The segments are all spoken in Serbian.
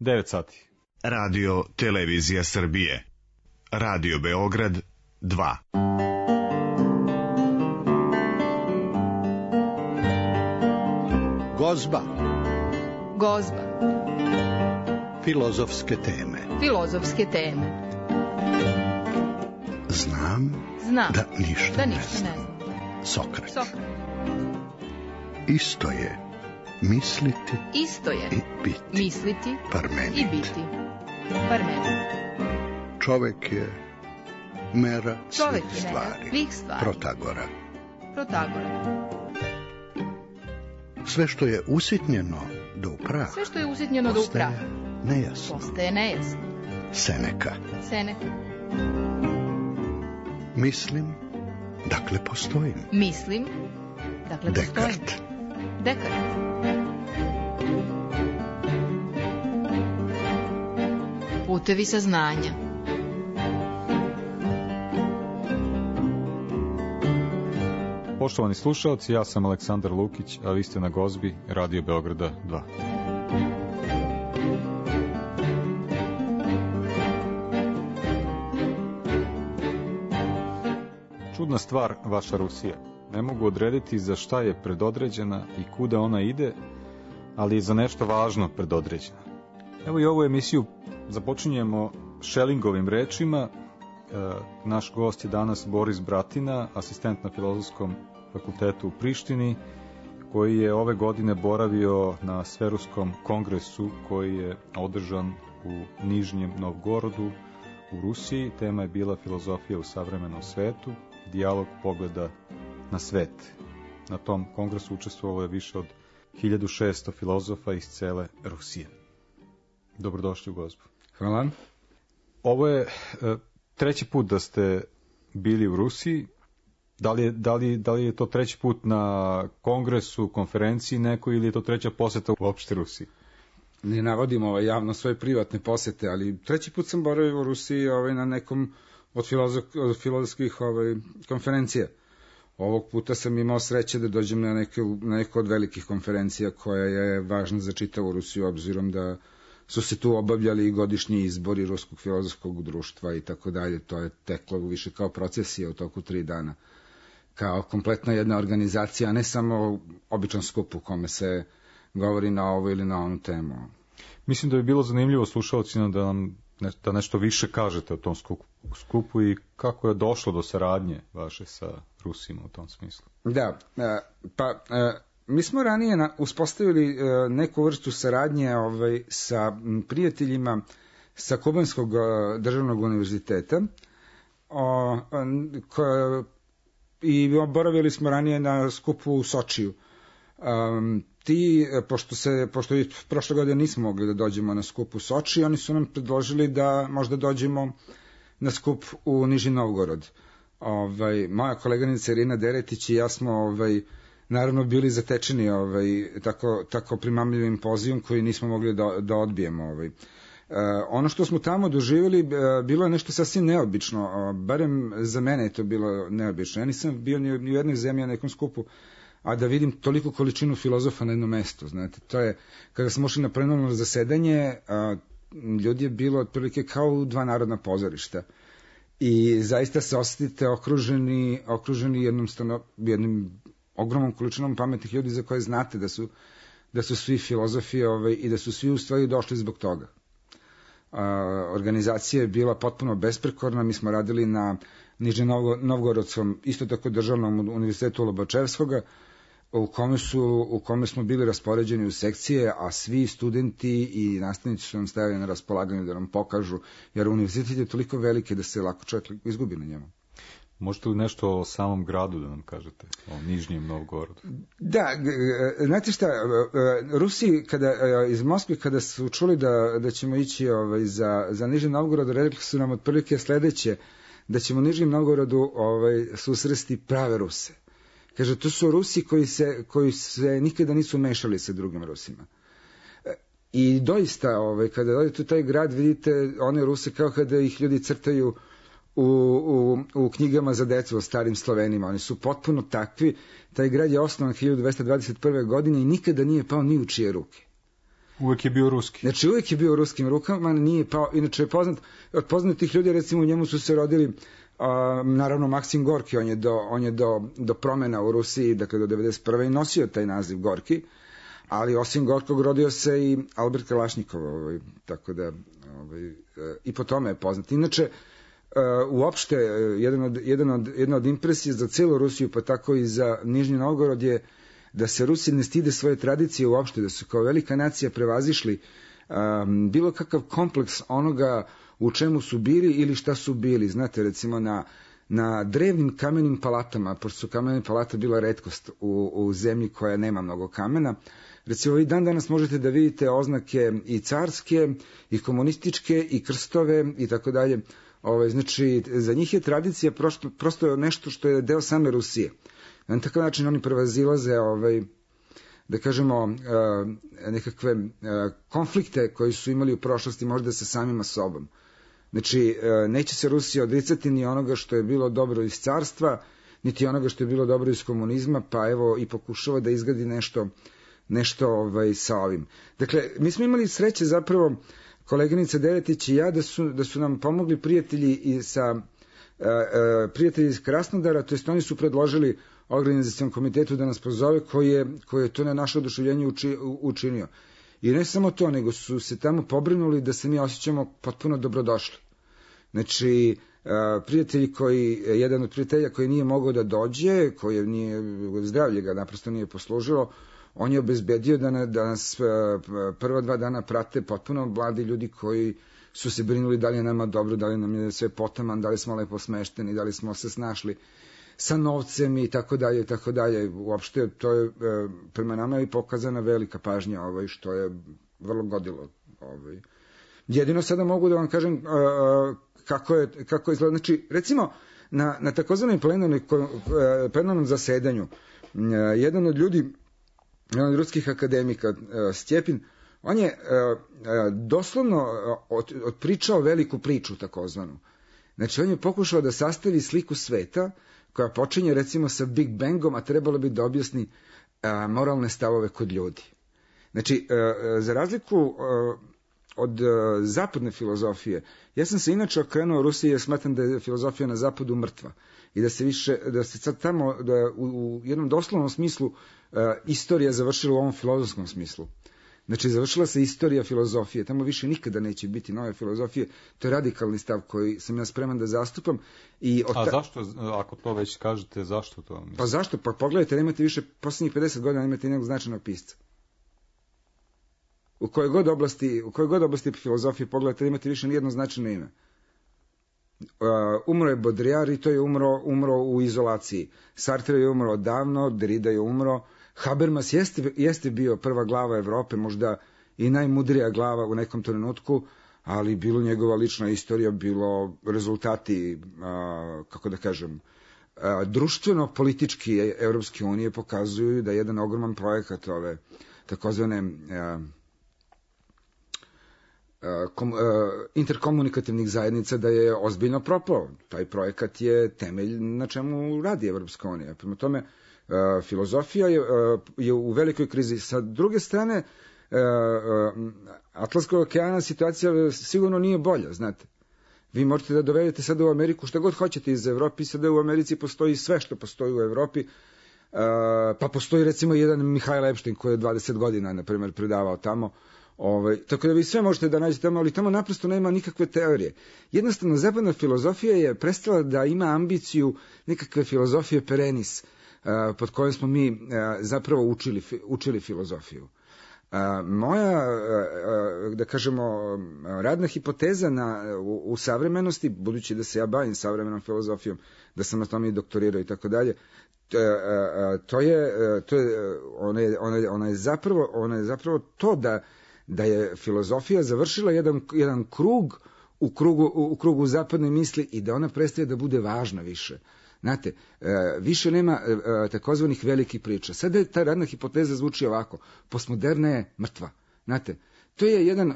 9 sati. Radio Televizija Srbije. Radio Beograd 2. Gozba. Gozba. Filozofske teme. Filozofske teme. Znam da ništa ne znam. Sokrat. Isto je misliti i biti. Misliti Parmenid. i biti. Parmenid. Čovek je mera Čovek svih je mera stvari. svih stvari. Protagora. Sve što je usitnjeno do upraha. Sve što je usitnjeno do upraha. Postaje nejasno. Seneka. Mislim, dakle postojim. Mislim, dakle postojim. Dekart. Putevi saznanja. Poštovani slušalci, ja sam Aleksandar Lukić, a vi ste na Gozbi Radio Beograda 2. Čudna stvar vaša Rusija. Ne mogu odrediti za šta je predodređena i kuda ona ide, ali je za nešto važno predodređena. Evo i ovu emisiju započinjemo Schellingovim rečima. Naš gost je danas Boris Bratina, asistent na Filozofskom fakultetu u Prištini, koji je ove godine boravio na Sveruskom kongresu koji je održan u Nižnjem Novgorodu u Rusiji. Tema je bila filozofija u savremenom svetu, dijalog pogleda na svet. Na tom kongresu učestvovalo je više od 1600 filozofa iz cele Rusije. Dobrodošli u Gozbu. Hvala. Ovo je treći put da ste bili u Rusiji. Da li je to treći put na kongresu, konferenciji nekoj, ili je to treća poseta uopšte Rusiji? Ne navodim javno svoje privatne posete, ali treći put sam boravio u Rusiji na nekom od filozofskih konferencija. Ovog puta sam imao sreće da dođem na neku od velikih konferencija koja je važna za čitavu Rusiju, obzirom da su se tu obavljali i godišnji izbori Ruskog filozofskog društva i tako dalje. To je teklo više kao procesija u toku 3 dana. Kao kompletna jedna organizacija, a ne samo običan skup u kome se govori na ovu ili na onu temu. Mislim da bi bilo zanimljivo slušalcima da nam nešto više kažete o tom skupu i kako je došlo do saradnje vaše sa Rusima u tom smislu. Da, mi smo ranije uspostavili neku vrstu saradnje sa prijateljima sa Kubanskog državnog univerziteta i boravili smo ranije na skupu u Sočiju. Pošto i prošle godine nismo mogli da dođemo na skup u Soči, oni su nam predložili da možda dođemo na skup u Nižni Novgorod. Moja koleganica Irina Deretić i ja smo naravno bili zatečeni tako primamljivim pozivom koji nismo mogli da odbijemo. Ono što smo tamo doživjeli bilo je nešto sasvim neobično, barem za mene je to bilo neobično. Ja nisam bio ni u jednoj zemlji na nekom skupu, a da vidim toliku količinu filozofa na jednom mestu. Znate, to je, kada smo ušli na plenarno zasedanje, ljudi je bilo otprilike kao u 2 narodna pozorišta. I zaista se osjetite okruženi jednim ogromnom količinom pametnih ljudi za koje znate da su svi filozofi i da su svi u stvari došli zbog toga. Organizacija je bila potpuno besprekorna, mi smo radili na Nižnjem Novgorodskom, isto tako državnom univerzitetu Lobačevskoga, u kome smo bili raspoređeni u sekcije, a svi studenti i nastavnici su nam stavili na raspolaganju da nam pokažu, jer univerzitet je toliko veliki da se lako čovjek izgubi na njemu. Možete li nešto o samom gradu da nam kažete, o Nižnjem Novgorodu? Da, znate šta, Rusi iz Moskve kada su čuli da ćemo ići za Nižni Novgorod, rekli su nam otprilike sledeće, da ćemo u Nižnjem Novgorodu susresti prave Ruse. Kaže, to su Rusi koji se nikada nisu mešali sa drugim Rusima. I doista, kada odete u taj grad, vidite one Ruse kao kada ih ljudi crtaju u knjigama za decu o starim Slovenima. Oni su potpuno takvi. Taj grad je osnovan 1221. godine i nikada nije pao ni u čije ruke. Uvek je bio ruski. Znači, uvek je bio u ruskim rukama, nije pao, inače je poznat, od poznatih ljudi, recimo, u njemu su se rodili, naravno, Maksim Gorki, on je do promena u Rusiji, dakle do 91. i nosio taj naziv Gorki, ali osim Gorkog rodio se i Albert Kalašnikov, tako da i po tome je poznat. Inače, uopšte, jedna od impresija za celu Rusiju, pa tako i za Nižni Novgorod je da se Rusi ne stide svoje tradicije uopšte, da su kao velika nacija prevazišli bilo kakav kompleks onoga u čemu su bili ili šta su bili. Znate, recimo na drevnim kamenim palatama, pošto su kamene palate bila retkost u zemlji koja nema mnogo kamena, recimo i dan danas možete da vidite oznake i carske, i komunističke, i krstove, i tako dalje. Znači, za njih je tradicija prosto nešto što je deo same Rusije. Na takav način oni prevazilaze, da kažemo, nekakve konflikte koji su imali u prošlosti možda sa samima sobom. Znači, neće se Rusija odricati ni onoga što je bilo dobro iz carstva, niti onoga što je bilo dobro iz komunizma, pa evo i pokušava da izgradi nešto sa ovim. Dakle, mi smo imali sreće zapravo, koleginica Deretić i ja, da su nam pomogli prijatelji iz Krasnodara, to jest oni su predložili organizacijalnom komitetu da nas pozove, koji je to na naše oduševljenje učinio. I ne samo to, nego su se tamo pobrinuli da se mi osjećamo potpuno dobrodošli. Znači, jedan od prijatelja koji nije mogao da dođe, koji nije, zdravlje ga naprosto nije poslužilo, on je obezbedio da nas prva 2 dana prate potpuno mladi ljudi koji su se brinuli da li je nama dobro, da li nam je sve potaman, da li smo lepo smešteni, da li smo se snašli sa novcem i tako dalje i tako dalje. Uopšte to je prema nama i pokazana velika pažnja, što je vrlo godilo. Jedino sada mogu da vam kažem kako izgleda. Znači, recimo na takozvanom plenarnom zasedanju jedan od ruskih akademika, Stjepin, on je doslovno odpričao veliku priču takozvanu. Znači, on je pokušao da sastavi sliku sveta koja počinje recimo sa Big Bangom, a trebalo bi da objasni moralne stavove kod ljudi. Znači, za razliku od zapadne filozofije, ja sam se inače okrenuo Rusiji jer smatram da je filozofija na zapadu mrtva i da se sad tamo u jednom doslovnom smislu istorija završila u ovom filozofskom smislu. Znači, završila se istorija filozofije, tamo više nikada neće biti nove filozofije, to je radikalni stav koji sam ja spreman da zastupam. A zašto, ako to već kažete, zašto to? Pa zašto? Pa pogledajte, nemate više, posljednjih 50 godina nemate nekog značajnog pisca. U kojoj god oblasti filozofije pogledajte, nemate više nijedno značajno ime. Umro je Baudrillard i to je umro u izolaciji. Sartre je umro davno, Derrida je umro, Habermas jeste bio prva glava Evrope, možda i najmudrija glava u nekom trenutku, ali bilo njegova lična istorija, bilo rezultati, kako da kažem, društveno-politički Evropske unije pokazuju da je jedan ogroman projekat ove takozvane interkomunikativnih zajednica da je ozbiljno propao. Taj projekat je temelj na čemu radi Evropska unija. Prema tome, filozofija je u velikoj krizi. Sa druge strane, Atlantskog okeana situacija sigurno nije bolja, znate. Vi možete da dovedete sada u Ameriku šta god hoćete iz Evropi, sada u Americi postoji sve što postoji u Evropi, pa postoji recimo jedan Mihajl Epstein koji je 20 godina, na primjer, predavao tamo. Tako da vi sve možete da nađete tamo, ali tamo naprosto nema nikakve teorije. Jednostavno, zapadna filozofija je prestala da ima ambiciju nekakve filozofije perenis, pod kojom smo mi zapravo učili filozofiju. Moja, da kažemo, radna hipoteza u savremenosti, budući da se ja bavim savremenom filozofijom, da sam na tome i doktorirao i tako dalje, ona je zapravo to da je filozofija završila jedan krug u krugu zapadne misli i da ona prestaje da bude važna više. Znate, više nema takozvanih velikih priča. Sada ta radna hipoteza zvuči ovako: postmoderna je mrtva. Znate, to je jedan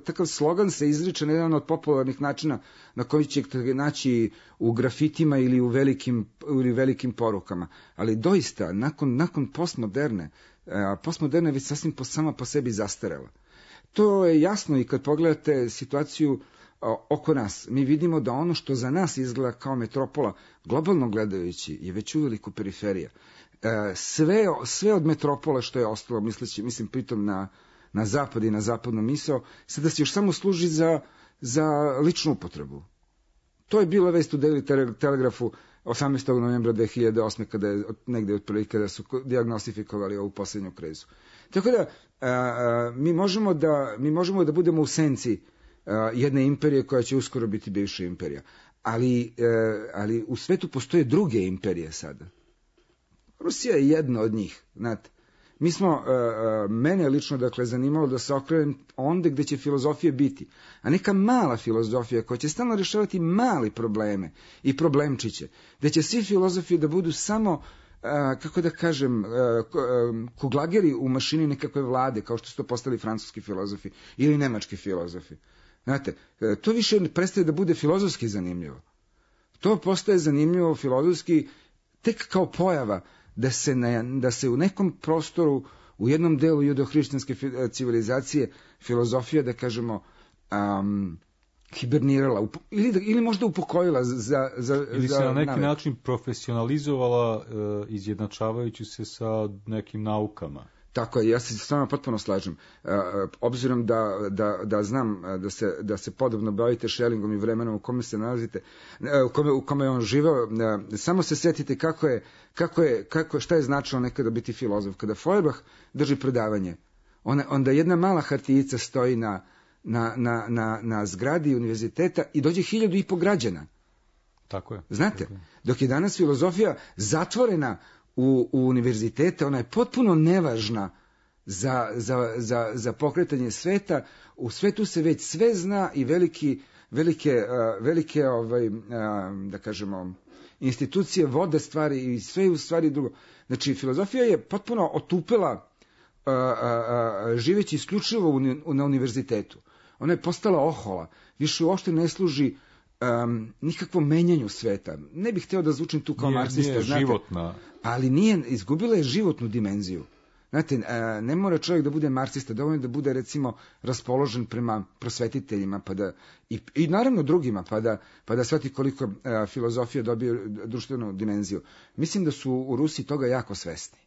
takav slogan se izriče na jedan od popularnih načina na koji ćete naći u grafitima ili u velikim porukama. Ali doista, nakon postmoderne, postmoderna je već sasvim sama po sebi zastarela. To je jasno i kad pogledate situaciju oko nas. Mi vidimo da ono što za nas izgleda kao metropola, globalno gledajući, je već uveliko periferija. Sve od metropola što je ostalo, mislim pritom na zapad i na zapadnu misao, sada se još samo služi za ličnu upotrebu. To je bila vest u Daily Telegraphu 18. novembra 2008. kada je negde otprilike kada su dijagnostifikovali ovu posljednju krizu. Tako da mi možemo da budemo u senci jedne imperije koja će uskoro biti bivša imperija. Ali u svetu postoje druge imperije sada. Rusija je jedna od njih, znate. Mene lično, dakle, zanimalo da se okrenem onde gde će filozofija biti, a neka mala filozofija koja će stalno rješavati mali probleme i problemčiće, gde će svi filozofi da budu samo, kako da kažem, kuglageri u mašini nekakve vlade, kao što su to postali francuski filozofi ili nemački filozofi. Znate, to više prestaje da bude filozofski zanimljivo. To postaje zanimljivo filozofski tek kao pojava, da se u nekom prostoru, u jednom delu judeohrišćanske civilizacije, filozofija, da kažemo, hibernirala ili možda upokojila ili se na neki način profesionalizovala, izjednačavajući se sa nekim naukama. Tako je, ja se s vama potpuno slažem. Obzirom da znam da se podobno bavite Schellingom i vremenom u kome se nalazite, u kome je on živeo, samo se setite šta je značilo nekada biti filozof. Kada Feuerbach drži predavanje, onda jedna mala hartijica stoji na zgradi univerziteta i dođe 1.500 građana. Tako je. Znate, tako je. Dok je danas filozofija zatvorena u univerzitete, ona je potpuno nevažna za pokretanje sveta. U svetu se već sve zna i velike da kažemo, institucije vode stvari i sve u stvari drugo. Znači, filozofija je potpuno otupela živeći isključivo na univerzitetu. Ona je postala ohola, više uopšte ne služi nikakvom menjanju sveta. Ne bih hteo da zvučim tu kao marksista, nije životna. Ali izgubila je životnu dimenziju. Znate, ne mora čovjek da bude marksista, dovoljno da bude, recimo, raspoložen prema prosvetiteljima, i naravno drugima, pa da shvati koliko filozofija dobije društvenu dimenziju. Mislim da su u Rusiji toga jako svesni.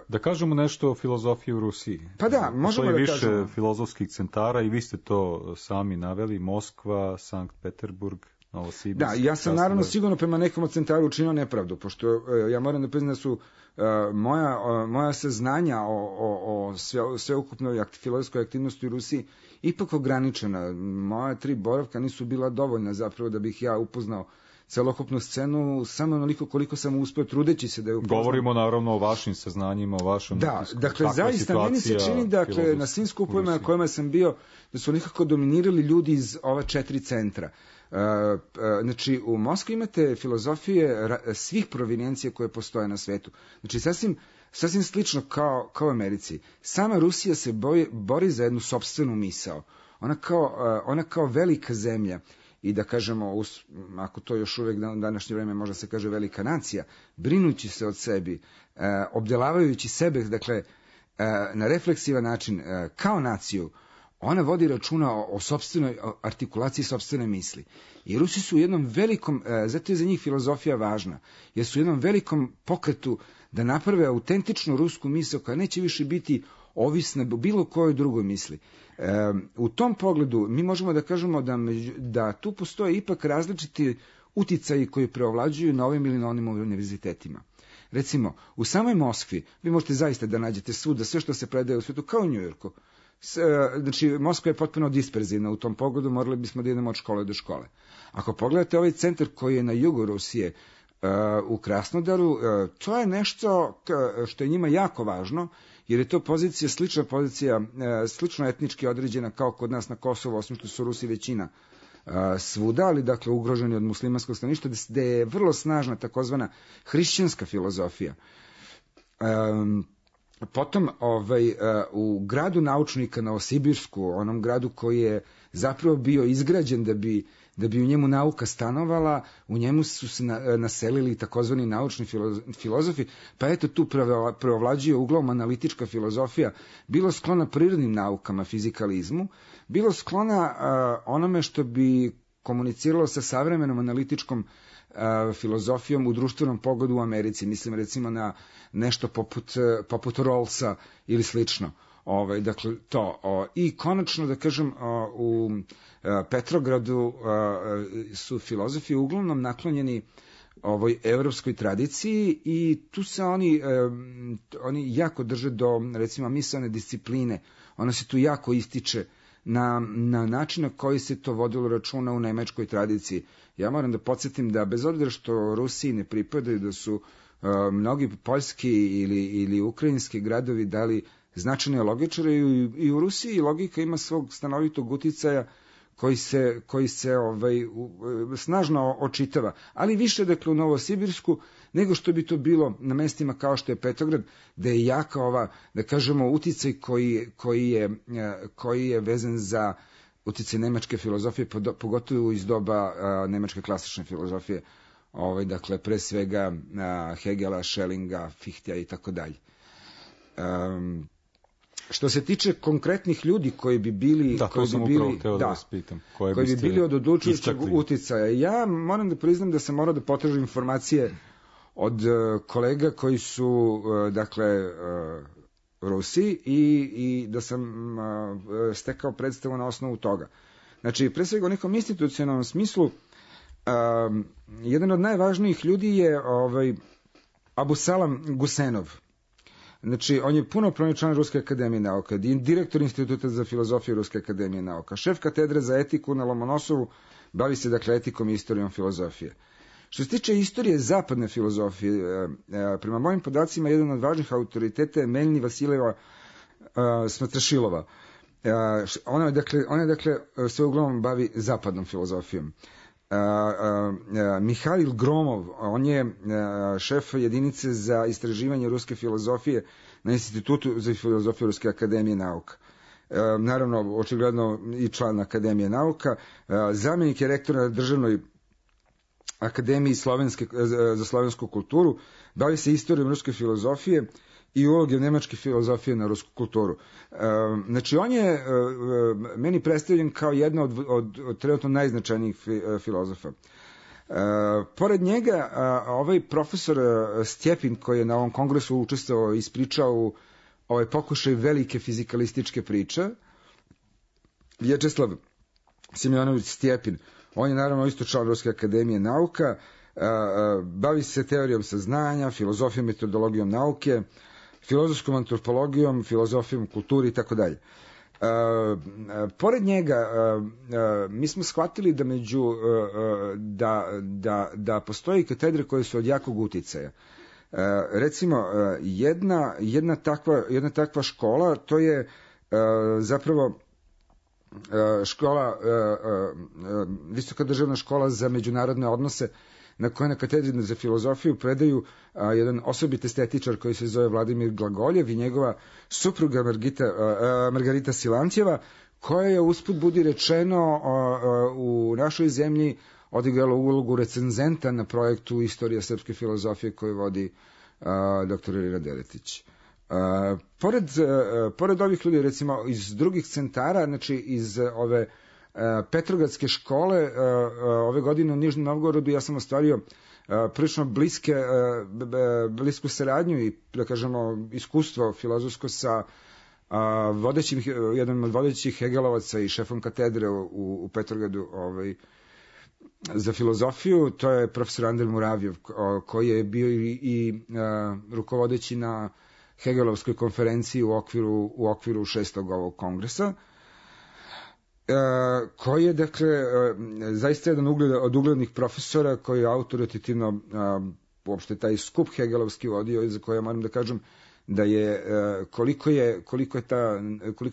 Da kažemo nešto o filozofiji u Rusiji. Pa da, možemo da kažemo. Više filozofskih centara i vi ste to sami naveli, Moskva, Sankt Peterburg, Novosibirsk. Da, ja sam naravno sigurno prema nekom od centara učinio nepravdu, pošto ja moram da priznam da su moja saznanja o sveukupnoj filozofskoj aktivnosti u Rusiji ipak ograničena. Moja 3 boravka nisu bila dovoljna zapravo da bih ja upoznao celokupnu scenu, samo onoliko koliko sam uspeo trudeći se da je upoznam. Govorimo naravno o vašim saznanjima, o vašem utisku. Dakle, zaista meni se čini, dakle, na svim skupovima na kojima sam bio, da su nekako dominirali ljudi iz ova 4 centra. Znači, u Moskvi imate filozofije svih provinencija koje postoje na svetu. Znači, sasvim slično kao u Americi. Sama Rusija se bori za jednu sopstvenu misao. Ona kao velika zemlja i da kažemo, ako to još uvijek na današnje vreme možda se kaže velika nacija, brinući se od sebi, obdelavajući sebe, dakle, na refleksivan način, kao naciju, ona vodi računa o sopstvenoj artikulaciji sopstvene misli. I Rusi su u jednom velikom, zato je za njih filozofija važna, jer su u jednom velikom pokretu da naprave autentičnu rusku misao koja neće više biti ovisna o bilo kojoj drugoj misli. U tom pogledu mi možemo da kažemo da tu postoje ipak različiti uticaji koji preovlađuju na ovim ili na onim univerzitetima. Recimo, u samoj Moskvi vi možete zaista da nađete svuda sve što se predaje u svijetu, kao u Njujorku. Znači, Moskva je potpuno disperzivna u tom pogledu, morali bismo da idemo od škole do škole. Ako pogledate ovaj centar koji je na jugu Rusije, u Krasnodaru, to je nešto što je njima jako važno, jer je to slična pozicija, slično etnički određena kao kod nas na Kosovu, osim što su Rusi većina svuda, ali dakle ugroženi od muslimanskog stanovništva, gde je vrlo snažna takozvana hrišćanska filozofija. Potom u gradu naučnika Novosibirsku, onom gradu koji je zapravo bio izgrađen da bi u njemu nauka stanovala, u njemu su se naselili takozvani naučni filozofi, pa eto tu preovlađuje uglavnom analitička filozofija, bilo sklona prirodnim naukama, fizikalizmu, bilo sklona onome što bi komuniciralo sa savremenom analitičkom filozofijom u društvenom pogledu u Americi. Mislim recimo na nešto poput Rawlsa ili slično. Dakle, to. I konačno, da kažem, u Petrogradu su filozofi uglavnom naklonjeni ovoj evropskoj tradiciji i tu se oni jako drže do, recimo, misaone discipline. Ona se tu jako ističe na način na koji se to vodilo računa u nemačkoj tradiciji. Ja moram da podsjetim da bez obzira što Rusiji ne pripadaju, da su mnogi poljski ili ukrajinski gradovi dali značajne logičare i u Rusiji logika ima svog stanovitog uticaja koji se snažno očitava, ali više dakle u Novosibirsku nego što bi to bilo na mestima kao što je Petrograd, da je jaka ova, da kažemo, uticaj koji je vezan za uticaj nemačke filozofije, pogotovo iz doba nemačke klasične filozofije, dakle pre svega Hegela, Schellinga, Fichtea i tako dalje. Što se tiče konkretnih ljudi koji bi bili koji bi bili od odlučujućeg uticaja, ja moram da priznam da sam morao da potražim informacije od kolega koji su dakle Rusi i da sam stekao predstavu na osnovu toga. Znači, pre svega u nekom institucionalnom smislu, jedan od najvažnijih ljudi je Abusalam Gusenov. Znači, on je punopravni član Ruske akademije nauka, direktor Instituta za filozofiju Ruske akademije nauka, šef katedre za etiku na Lomonosovu, bavi se dakle etikom i istorijom filozofije. Što se tiče istorije zapadne filozofije, prema mojim podacima, jedan od važnih autoriteta je Melni Vasiljeva Smatrašilova. Ona dakle se uglavnom bavi zapadnom filozofijom. Mihail Gromov, on je šef jedinice za istraživanje ruske filozofije na Institutu za filozofiju Ruske akademije nauka. Naravno, očigledno i član Akademije nauka. Zamjenik je rektora na Državnoj akademiji za slovensku kulturu, bavi se istorijom ruske filozofije i uloge nemačke filozofije na rusku kulturu. Znači, on je meni predstavljen kao jedna od trenutno najznačajnijih filozofa. Pored njega, ovaj profesor Stjepin, koji je na ovom kongresu učestvovao i ispričao ovaj pokušaj velike fizikalističke priče, Vječeslav Simjonović Stjepin, on je naravno isto član Ruske akademije nauka, bavi se teorijom saznanja, filozofijom, metodologijom nauke, filozofskom antropologijom, filozofijom kulturi i tako dalje. Pored njega, mi smo shvatili da postoji katedre koje su od jakog uticaja. Recimo, jedna takva škola, to je zapravo škola, Visoka državna škola za međunarodne odnose, na kojoj na katedri za filozofiju predaju jedan osobit estetičar koji se zove Vladimir Glagoljev i njegova supruga Margarita Silantjeva, koja je, usput budi rečeno, u našoj zemlji odigrala ulogu recenzenta na projektu Istorija srpske filozofije koju vodi dr. Irina Deretić. Pored ovih ljudi, recimo iz drugih centara, znači iz ove Petrogradske škole, ove godine u Nižnom Novgorodu ja sam ostvario prilično blisku saradnju i, da kažemo, iskustvo filozofsko sa jednom od vodećih Hegelovaca i šefom katedre u Petrogradu za filozofiju. To je profesor Andrej Muravjev, koji je bio i rukovodeći na Hegelovskoj konferenciji u okviru 6. ovog kongresa, koji je, dakle, zaista jedan od uglednih profesora koji je autoritativno uopšte taj skup Hegelovski vodio i za koje moram da kažem da je koliko je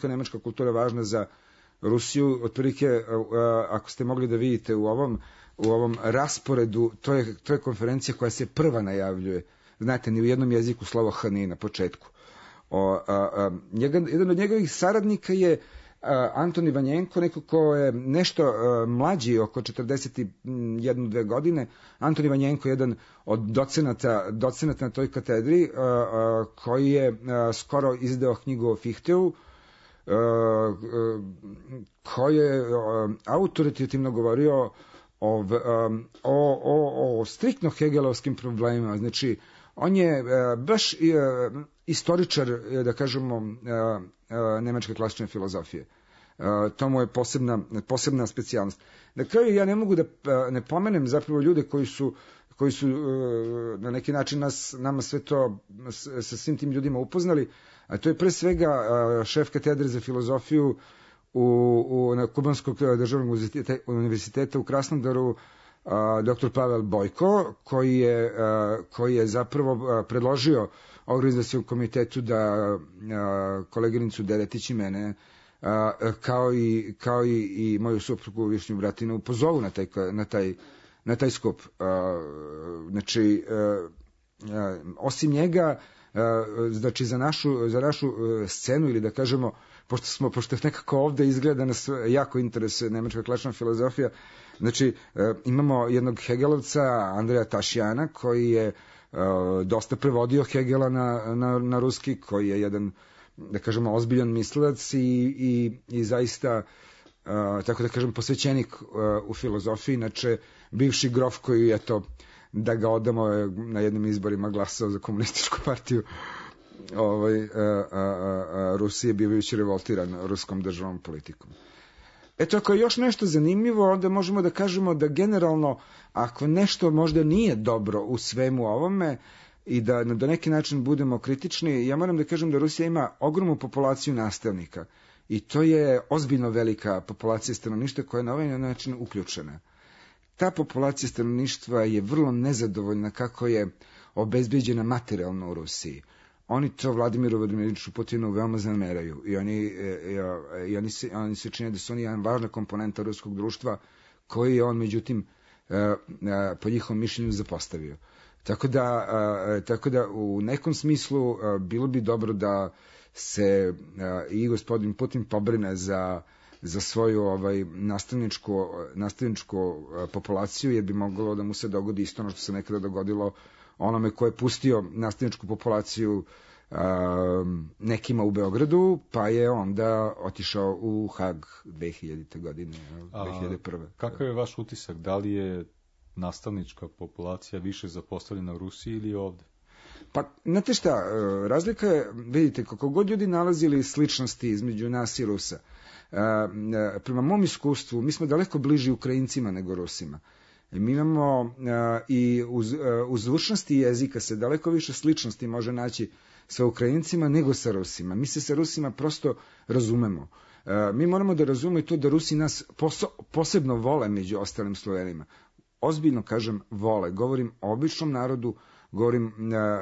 nemačka kultura važna za Rusiju. Otprilike, ako ste mogli da vidite u ovom rasporedu, to je konferencija koja se prva najavljuje. Znate, ni u jednom jeziku slovo H nije na početku. Jedan od njegovih saradnika je Antoni Vanjenko, neko ko je nešto mlađi, oko 41-2 godine. Antoni Vanjenko je jedan od docenata na toj katedri, koji je skoro izdao knjigu o Fichteu, koji je autoritativno govorio o striktno hegelovskim problemima. Znači, on je baš istoričar, da kažemo, nemačke klasične filozofije. To mu je posebna specijalnost. Na kraju ja ne mogu da ne pomenem zapravo ljude koji su na neki način nama sve to sa svim tim ljudima upoznali, a to je pre svega šef katedre za filozofiju na Kubanskog državnog univerziteta u Krasnodaru, dr. Pavel Bojko, koji je zapravo predložio organizacijom komitetu da koleginicu Deretić i mene, kao i moju suprugu Višnju Bratinu, pozovu na taj skup. Znači, osim njega, znači za našu scenu, ili da kažemo, pošto nekako ovde izgleda nas jako interesuje nemačka klasična filozofija, znači imamo jednog Hegelovca, Andreja Tašjana, koji je dosta prevodio Hegela na ruski, koji je jedan, da kažemo, ozbiljan mislilac i zaista, tako da kažem, posvećenik u filozofiji. Inače, bivši grof koji, eto, da ga odamo, na jednim izborima glasao za komunističku partiju Rusije, bivajući revoltiran ruskom državnom politikom. Eto, ako je još nešto zanimljivo, onda možemo da kažemo da generalno, ako nešto možda nije dobro u svemu ovome i da na neki način budemo kritični, ja moram da kažem da Rusija ima ogromnu populaciju nastavnika i to je ozbiljno velika populacija stanovništva koja je na ovaj način uključena. Ta populacija stanovništva je vrlo nezadovoljna kako je obezbeđena materijalno u Rusiji. Oni to Vladimiru Vladimiroviču Putinu veoma zameraju i oni se čine da su oni jedan važna komponenta ruskog društva koji je on, međutim, po njihovom mišljenju zapostavio. Tako da u nekom smislu bilo bi dobro da se i gospodin Putin pobrine za svoju nastavničku populaciju, jer bi moglo da mu se dogodi isto ono što se nekada dogodilo onome ko je pustio nastavničku populaciju nekima u Beogradu, pa je onda otišao u Hag 2000. godine, 2001. Kakav je vaš utisak? Da li je nastavnička populacija više zapostavljena u Rusiji ili ovde? Pa, znate šta, razlika je, vidite, kako god ljudi nalazili sličnosti između nas i Rusa, prema mom iskustvu, mi smo daleko bliži Ukrajincima nego Rusima. Mi imamo i u zvučnosti jezika se daleko više sličnosti može naći sa Ukrajincima nego sa Rusima. Mi se sa Rusima prosto razumemo. Mi moramo da razumemo i to da Rusi nas posebno vole među ostalim Slovenima. Ozbiljno kažem vole. Govorim o običnom narodu,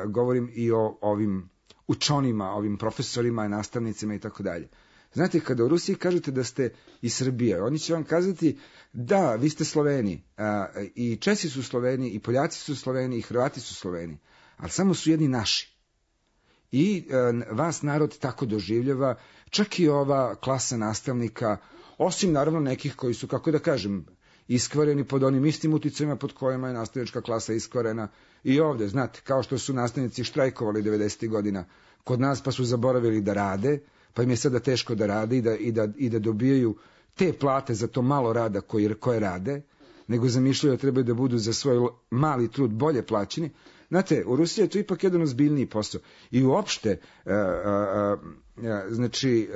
govorim i o ovim učonima, ovim profesorima, nastavnicima i tako dalje. Znate, kada u Rusiji kažete da ste iz Srbije, oni će vam kazati da, vi ste Sloveni, i Česi su Sloveni, i Poljaci su Sloveni, i Hrvati su Sloveni, ali samo su jedni naši. I vas narod tako doživljava, čak i ova klasa nastavnika, osim naravno nekih koji su, kako da kažem, iskvareni pod onim istim uticajima pod kojima je nastavnička klasa iskvarena i ovde, znate, kao što su nastavnici štrajkovali 90. godina kod nas pa su zaboravili da rade, pa im je sada teško da rade i da dobijaju te plate za to malo rada koje rade, nego zamišljaju da trebaju da budu za svoj mali trud bolje plaćeni. Znate, u Rusiji je to ipak jedan ozbiljniji posao. I uopšte, znači,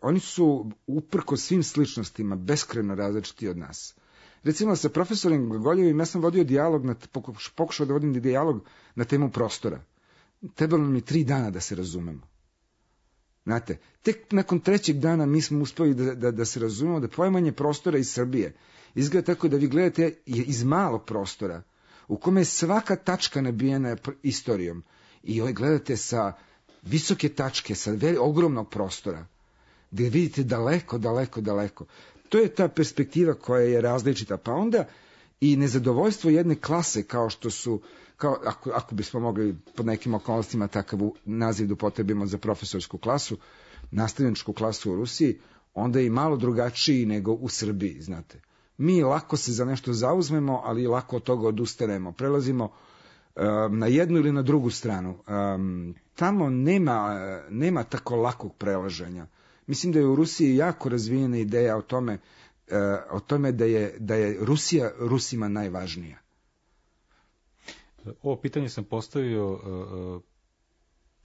oni su uprko svim sličnostima beskrajno različiti od nas. Recimo, sa profesorom Goljevim ja sam vodio dijalog, pokušao da vodim dijalog na temu prostora. Trebalo mi 3 dana da se razumemo. Znate, tek nakon 3. dana mi smo uspeli da se razumemo da poimanje prostora iz Srbije izgleda tako da vi gledate iz malog prostora, u kome je svaka tačka nabijena istorijom, i gledate sa visoke tačke, sa ogromnog prostora, gde vidite daleko, daleko, daleko. To je ta perspektiva koja je različita, pa onda i nezadovoljstvo jedne klase kao što su, ako bismo mogli pod nekim okolnostima takav naziv da upotrebimo za profesorsku klasu, nastavničku klasu u Rusiji, onda je i malo drugačiji nego u Srbiji, znate. Mi lako se za nešto zauzmemo, ali lako od toga odustanemo. Prelazimo na jednu ili na drugu stranu. Tamo nema tako lakog prelaženja. Mislim da je u Rusiji jako razvijena ideja o tome da je Rusija Rusima najvažnija. Ovo pitanje sam postavio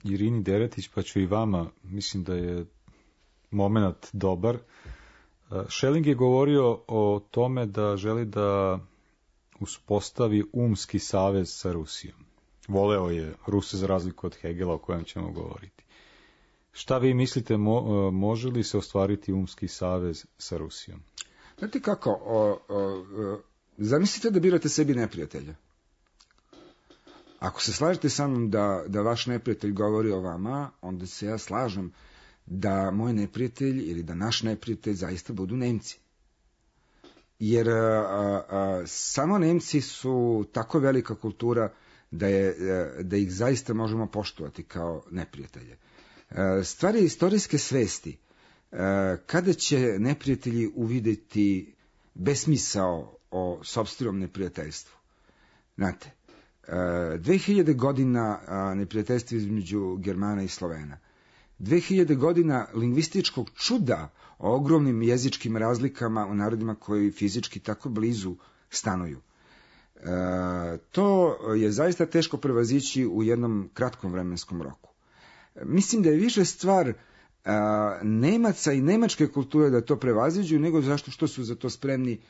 Irini Deretić, pa ću i vama, mislim da je moment dobar. Schelling je govorio o tome da želi da uspostavi umski savez sa Rusijom. Voleo je Ruse za razliku od Hegela o kojem ćemo govoriti. Šta vi mislite, može li se ostvariti umski savez sa Rusijom? Znate kako, zamislite da birate sebi neprijatelja. Ako se slažete sa mnom da vaš neprijatelj govori o vama, onda se ja slažem da moj neprijatelj ili da naš neprijatelj zaista budu Nemci. Jer samo Nemci su tako velika kultura da ih zaista možemo poštovati kao neprijatelje. Stvar je istorijske svesti. Kada će neprijatelji uvideti besmisao o sopstvenom neprijateljstvu? Znate, 2000 godina neprijateljstva između Germana i Slovena. 2000 godina lingvističkog čuda o ogromnim jezičkim razlikama u narodima koji fizički tako blizu stanuju. To je zaista teško prevazići u jednom kratkom vremenskom roku. Mislim da je više stvar Nemaca i nemačke kulture da to prevaziđu, nego zašto što su za to spremni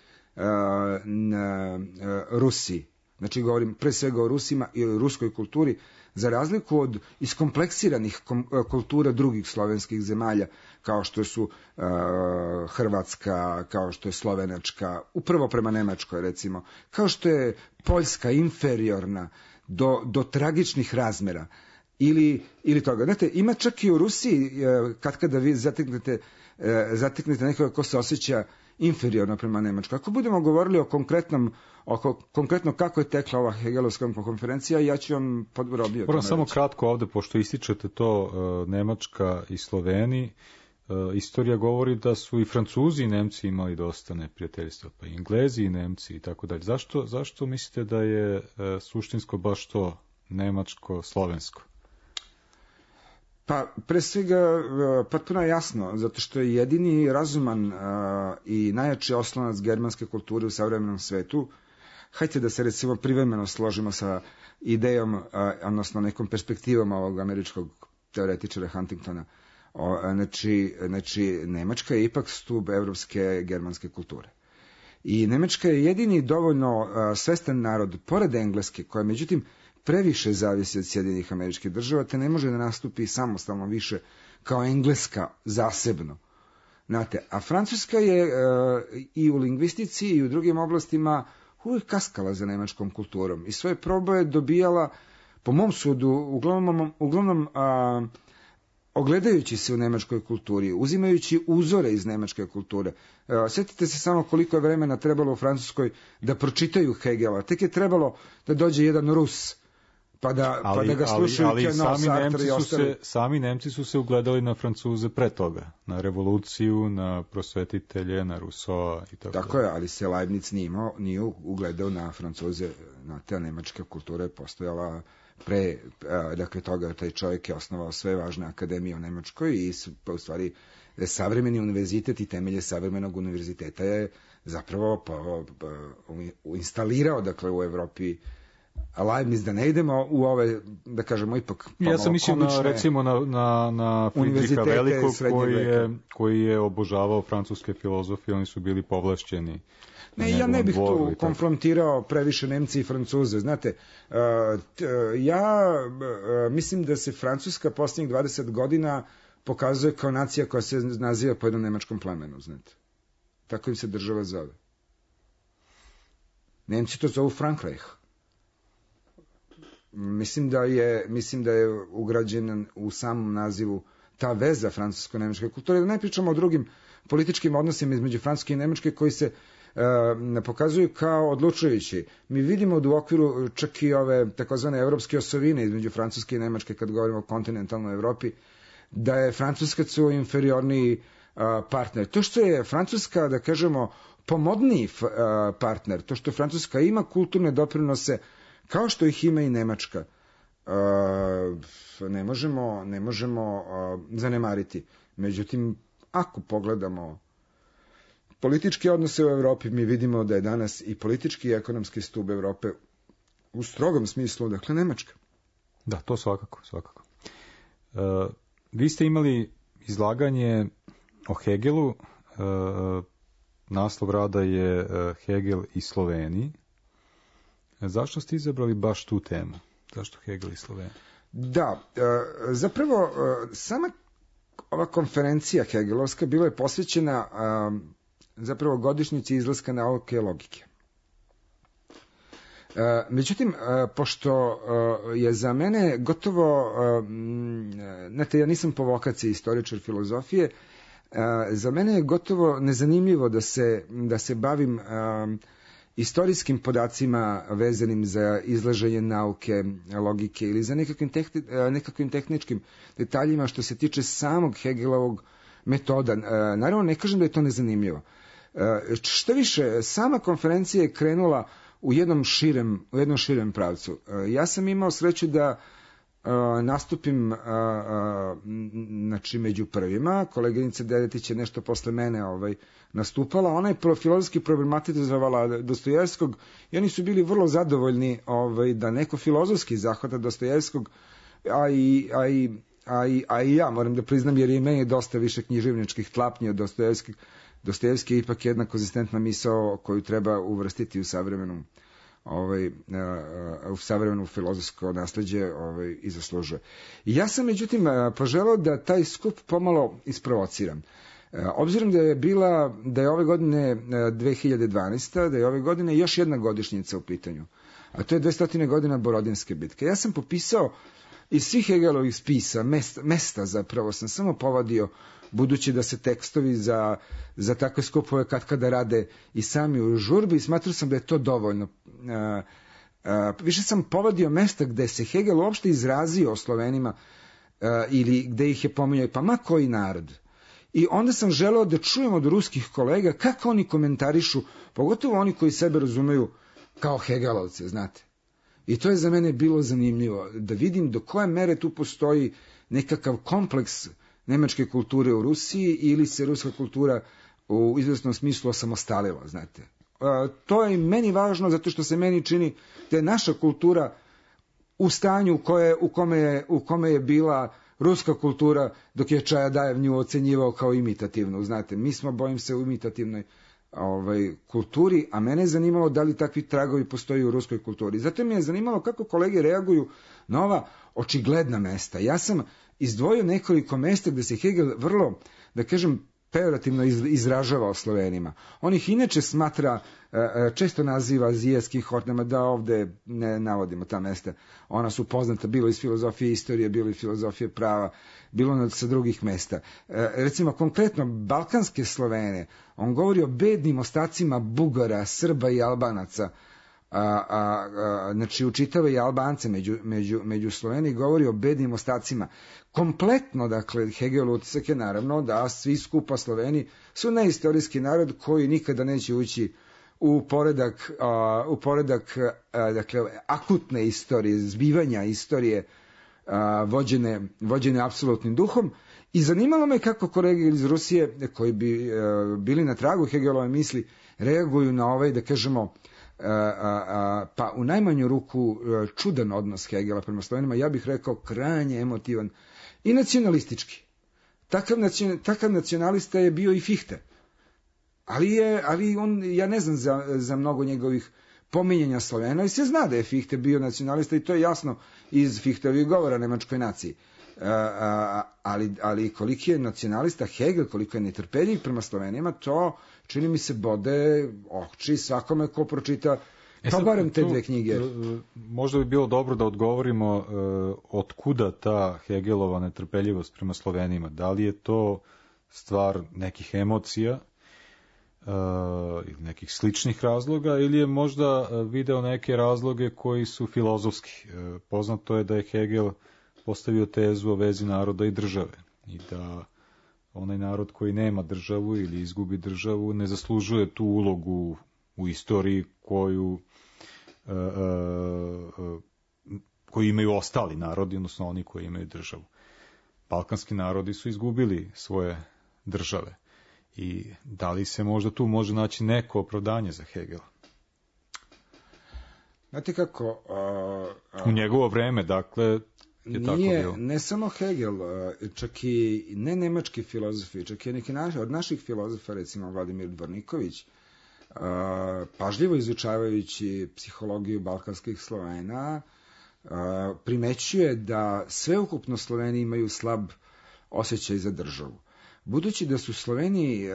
Rusi. Znači, govorim pre svega o Rusima i o ruskoj kulturi, za razliku od iskompleksiranih kultura drugih slovenskih zemalja, kao što su Hrvatska, kao što je Slovenačka, upravo prema Nemačkoj recimo, kao što je Poljska inferiorna do tragičnih razmera, ili toga. Znate, ima čak i u Rusiji, kada vi zateknete nekoga ko se osjeća inferiorno prema Nemačkoj. Ako budemo govorili o konkretno kako je tekla ova Hegelovska konferencija, ja ću vam podrobio. Moram samo kratko ovde, pošto ističete to Nemačka i Sloveni, istorija govori da su i Francuzi i Nemci imali dosta neprijateljstva, pa i Englezi i Nemci i tako dalje. Zašto mislite da je suštinsko baš to nemačko-slovensko? Pa, pre svega, potpuno je jasno, zato što je jedini razuman i najjači oslonac germanske kulture u savremenom svetu. Hajde da se recimo privremeno složimo sa idejom, odnosno nekom perspektivom ovog američkog teoretičara Huntingtona. Znači, Nemačka je ipak stub evropske germanske kulture. I Nemačka je jedini dovoljno svestan narod, pored Engleske, koja međutim previše zavisi od Sjedinjenih Američkih Država, te ne može da nastupi samostalno više kao Engleska zasebno. Znate, a Francuska je i u lingvistici i u drugim oblastima uvijek kaskala za nemačkom kulturom i svoje proboje dobijala, po mom sudu, uglavnom ogledajući se u nemačkoj kulturi, uzimajući uzore iz nemačke kulture. Sjetite se samo koliko je vremena trebalo u Francuskoj da pročitaju Hegela. Tek je trebalo da dođe jedan Rus, pa da ga slušaju sami Nemci su se ugledali na Francuze pre toga, na revoluciju, na prosvetitelje, na Rousseau i tako. Tako je, ali se Leibniz nije ugledao na Francuze, na te nemačke kulture postojala pre, dakle toga taj čovjek je osnovao sve važne akademije u Nemačkoj i u stvari savremeni univerzitet i temelje savremenog univerziteta je zapravo instalirao, dakle, u Evropi Leibniz, da ne idemo u ove, da kažemo, ipak ja sam mislio recimo na Friedricha Velikog koji je obožavao francuske filozofije, oni su bili povlašćeni. Ne, ja ne bih tu konfrontirao previše Nemci i Francuze. Znate, ja mislim da se Francuska posljednjih 20 godina pokazuje kao nacija koja se naziva po jednom nemačkom plemenu, znate. Tako im se država zove. Nemci to zovu Frankreich. Mislim da je ugrađena u samom nazivu ta veza francusko-nemačke kulture. Da ne pričamo o drugim političkim odnosima između Francuske i Nemačke koji se ne pokazuju kao odlučujući. Mi vidimo da u okviru čak i ove takozvane evropske osovine između Francuske i Nemačke, kad govorimo o kontinentalnoj Evropi, da je Francuskac inferiorniji partner. To što je Francuska, da kažemo, pomodniji partner, to što Francuska ima kulturne doprinose, kao što ih ima i Nemačka, ne možemo zanemariti. Međutim, ako pogledamo političke odnose u Evropi, mi vidimo da je danas i politički i ekonomski stub Evrope u strogom smislu, dakle, Nemačka. Da, to svakako. Vi ste imali izlaganje o Hegelu, naslov rada je Hegel i Sloveniji. Zašto ste izabrali baš tu temu? Zašto Hegel i Slovenija? Da, zapravo sama ova konferencija hegelovska bila je posvećena zapravo godišnjici izlaska nauke logike. Međutim, pošto je za mene gotovo, znate, ja nisam po vokaciji istoričar filozofije, za mene je gotovo nezanimljivo da se bavim istorijskim podacima vezanim za izlaženje nauke, logike ili za nekakvim tehničkim detaljima što se tiče samog Hegelovog metoda. Naravno, ne kažem da je to nezanimljivo. Što više, sama konferencija je krenula u jednom širem pravcu. Ja sam imao sreću da nastupim znači među prvima. Koleginica Deretić je nešto posle mene nastupala. Ona je filozofski problematizovala Dostojevskog i oni su bili vrlo zadovoljni da neko filozofski zahvata Dostojevskog, a i ja moram da priznam, jer je meni dosta više književničkih tlapnji od Dostojevskih. Dostojevski je ipak jedna konzistentna misao koju treba uvrstiti u savremeno filozofsko nasleđe i zaslužuje. Ja sam, međutim, poželao da taj skup pomalo isprovociram. Obzirom da je ove godine 2012. da je ove godine još jedna godišnjica u pitanju, a to je 200 godina Borodinske bitke. Ja sam popisao iz svih Hegelovih spisa, mesta zapravo sam samo povadio, budući da se tekstovi za takve skupove katkada rade i sami u žurbi, smatrao sam da je to dovoljno. Više sam povadio mesta gde se Hegel uopšte izrazio o Slovenima ili gde ih je pominjao, pa ma koji narod. I onda sam želeo da čujem od ruskih kolega kako oni komentarišu, pogotovo oni koji sebe razumeju kao Hegelovce, znate. I to je za mene bilo zanimljivo, da vidim do koje mere tu postoji nekakav kompleks nemačke kulture u Rusiji ili se ruska kultura u izvesnom smislu osamostalila, znate. To je meni važno zato što se meni čini da je naša kultura u stanju u kome je bila ruska kultura dok je Čajadajev nju ocenjivao kao imitativnu, znate. Mi smo, bojim se, u imitativnoj kulturi, a mene je zanimalo da li takvi tragovi postoji u ruskoj kulturi. Zato mi je zanimalo kako kolege reaguju na ova očigledna mesta. Ja sam izdvojio nekoliko mesta gde se Hegel vrlo, da kažem, pejorativno izražava o Slovenima. On ih inače smatra, često naziva azijskih hornama, da ovde ne navodimo ta mesta. Ona su poznata bilo iz filozofije istorije, bilo iz filozofije prava, bilo sa drugih mesta. Recimo, konkretno, balkanske Slovene, on govori o bednim ostacima Bugara, Srba i Albanaca, znači učitava i Albance među Sloveni, govori o bednim ostacima. Kompletno, dakle, Hegel utisak je naravno da svi skupa Sloveni su neistorijski narod koji nikada neće ući u poredak dakle, akutne istorije, zbivanja istorije vođene apsolutnim duhom. I zanimalo me kako kolege iz Rusije, koji bi bili na tragu Hegelove misli, reaguju na da kažemo, pa u najmanju ruku čudan odnos Hegela prema Slovenima, ja bih rekao krajnje emotivan i nacionalistički. Takav nacionalista je bio i Fichte. Ali on, ja ne znam za mnogo njegovih pominjanja Slovena i se zna da je Fichte bio nacionalista i to je jasno iz Fichtovih govora nemačkoj naciji. Ali koliki je nacionalista Hegel, koliko je netrpeljiv prema Slovenima, to čini mi se bode oči svakome ko pročita pa barem te dve knjige. Možda bi bilo dobro da odgovorimo od kuda ta Hegelova netrpeljivost prema Slovenima. Da li je to stvar nekih emocija ili nekih sličnih razloga ili je možda video neke razloge koji su filozofski. Poznato je da je Hegel postavio tezu o vezi naroda i države i da onaj narod koji nema državu ili izgubi državu ne zaslužuje tu ulogu u istoriji koju imaju ostali narodi, odnosno oni koji imaju državu. Balkanski narodi su izgubili svoje države. I da li se možda tu može naći neko opravdanje za Hegela? Znate kako... U njegovo vreme, dakle, je tako bilo. Ne samo Hegel, čak i ne nemački filozofi, čak i neki od naših filozofa, recimo Vladimir Dvorniković, pažljivo izučavajući psihologiju balkanskih Slovena, primećuje da sveukupno Sloveni imaju slab osjećaj za državu. Budući da su Sloveni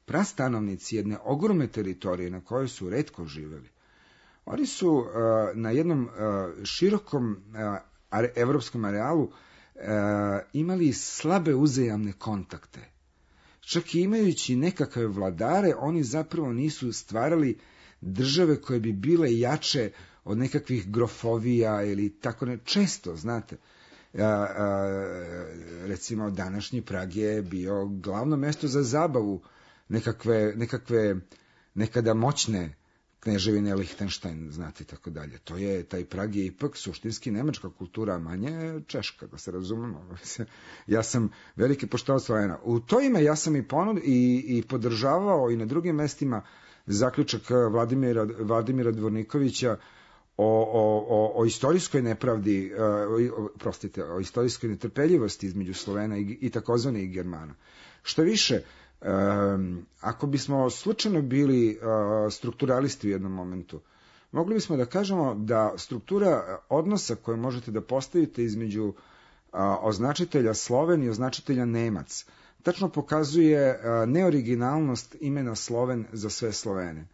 prastanovnici jedne ogromne teritorije na kojoj su retko živeli, oni su na jednom širokom evropskom arealu imali slabe uzajamne kontakte. Čak i imajući nekakve vladare, oni zapravo nisu stvarali države koje bi bile jače od nekakvih grofovija ili tako ne. Često, znate, recimo današnji Prag je bio glavno mesto za zabavu nekakve nekada moćne kneževine Lihtenštajn, znate, tako dalje. Taj Prag je ipak suštinski nemačka kultura, a manje češka, da se razumemo. Ja sam veliki poštovao Slovena. U to ime ja sam i podržavao i na drugim mestima zaključak Vladimira Dvornikovića o istorijskoj nepravdi, o istorijskoj netrpeljivosti između Slovena i takozvanih Germana. Što više, ako bismo slučajno bili strukturalisti u jednom momentu, mogli bismo da kažemo da struktura odnosa koju možete da postavite između označitelja Sloven i označitelja Nemac tačno pokazuje neoriginalnost imena Sloven za sve Slovene.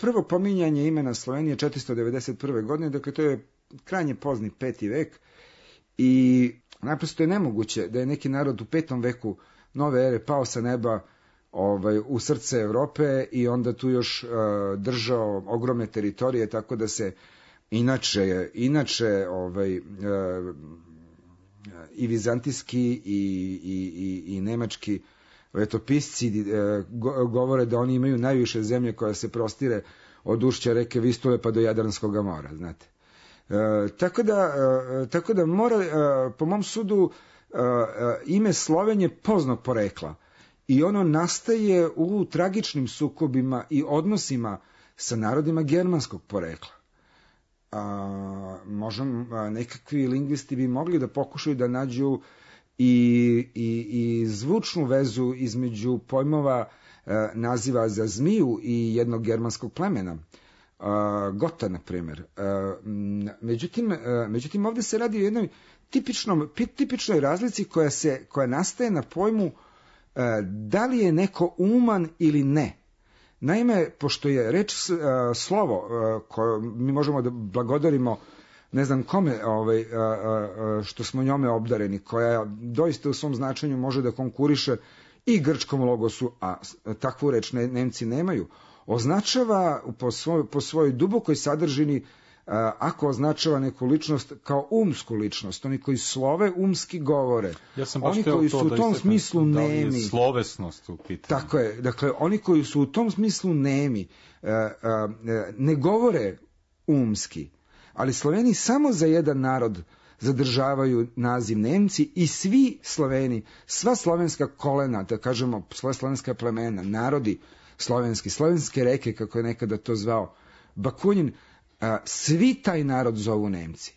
Prvo pominjanje imena Slovenije 491. godine, dakle to je krajnje pozni 5. vek i naprosto je nemoguće da je neki narod u 5. veku nove ere pao sa neba u srce Evrope i onda tu još držao ogromne teritorije, tako da se inače i vizantijski i nemački letopisci govore da oni imaju najviše zemlje koja se prostire od ušća reke Vistule pa do Jadranskog mora, znate. Tako da mora, po mom sudu, ime Sloven je poznatog porekla i ono nastaje u tragičnim sukobima i odnosima sa narodima germanskog porekla. Nekakvi lingvisti bi mogli da pokušaju da nađu i zvučnu vezu između pojmova naziva za zmiju i jednog germanskog plemena, Gota, na primjer. Međutim, ovdje se radi o jednoj tipičnoj razlici koja nastaje na pojmu da li je neko uman ili ne. Naime, pošto je reč slovo koje mi možemo da blagodarimo ne znam kome što smo njome obdareni, koja doista u svom značenju može da konkuriše i grčkom logosu, a takvu reč Nemci nemaju, označava po svojoj dubokoj sadržini, ako označava neku ličnost kao umsku ličnost, oni koji slove umski govore, oni koji su u tom smislu nemi. Da li je slovesnost u pitanju? Tako je, dakle, oni koji su u tom smislu nemi, ne govore umski, ali Sloveni samo za jedan narod zadržavaju naziv Nemci i svi Sloveni, sva slovenska kolena, da kažemo sva slovenska plemena, narodi slovenske reke, kako je nekada to zvao Bakunin, svi taj narod zovu Nemci.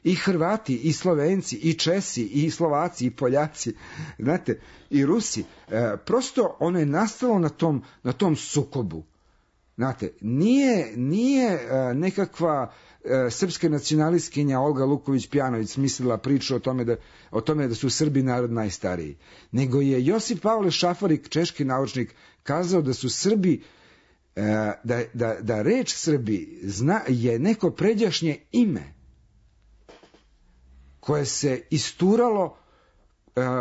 I Hrvati, i Slovenci, i Česi, i Slovaci, i Poljaci, znate, i Rusi. Prosto ono je nastalo na tom sukobu. Znate, nije nekakva srpska nacionalistkinja Olga Luković-Pjanović smislila priču o tome da su Srbi narod najstariji, nego je Josip Pavle Šafarik, češki naučnik, kazao da su Srbi, da reč Srbi je neko pređašnje ime koje se isturalo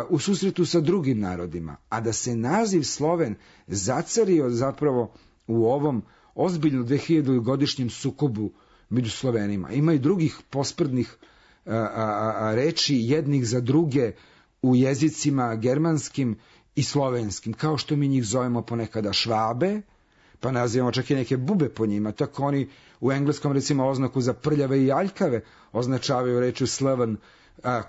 u susretu sa drugim narodima, a da se naziv Sloven zacario zapravo u ovom ozbiljno 2000-godišnjem sukobu među Slovenima. Ima i drugih posprdnih reči jednih za druge u jezicima germanskim i slovenskim, kao što mi njih zovemo ponekada Švabe, pa nazivamo čak i neke bube po njima, tako oni u engleskom recimo oznaku za prljave i aljkave označavaju rečju Sloven,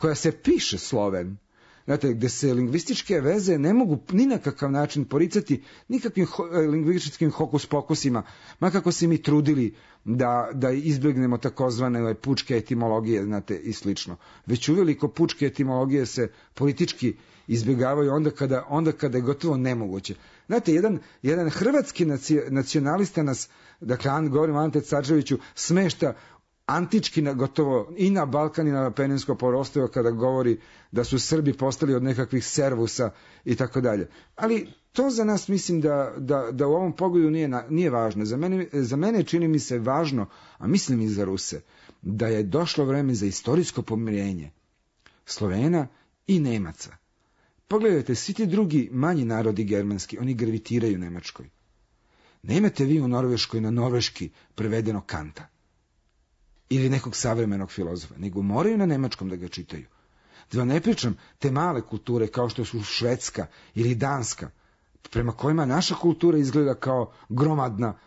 koja se piše Sloven. Znate, gde se lingvističke veze ne mogu ni na kakav način poricati nikakvim lingvističkim hokus pokusima, makako se mi trudili da izbjegnemo takozvane pučke etimologije, znate, i slično. Već uveliko pučke etimologije se politički izbjegavaju onda kada je gotovo nemoguće. Znate, jedan hrvatski nacionalista nas, dakle, govorim o Ante Carčeviću, smešta antički gotovo i na Balkan i na Peninsko poluostrvo kada govori da su Srbi postali od nekakvih servusa i tako dalje. Ali to za nas mislim da u ovom pogledu nije važno. Za mene čini mi se važno, a mislim i za Ruse, da je došlo vreme za istorijsko pomirenje Slovena i Nemaca. Pogledajte, svi ti drugi manji narodi germanski, oni gravitiraju Nemačkoj. Nemate vi u Norveškoj na norveški prevedeno Kanta ili nekog savremenog filozofa, nego moraju na nemačkom da ga čitaju. Da vam ne pričam te male kulture kao što su Švedska ili Danska, prema kojima naša kultura izgleda kao gromadna,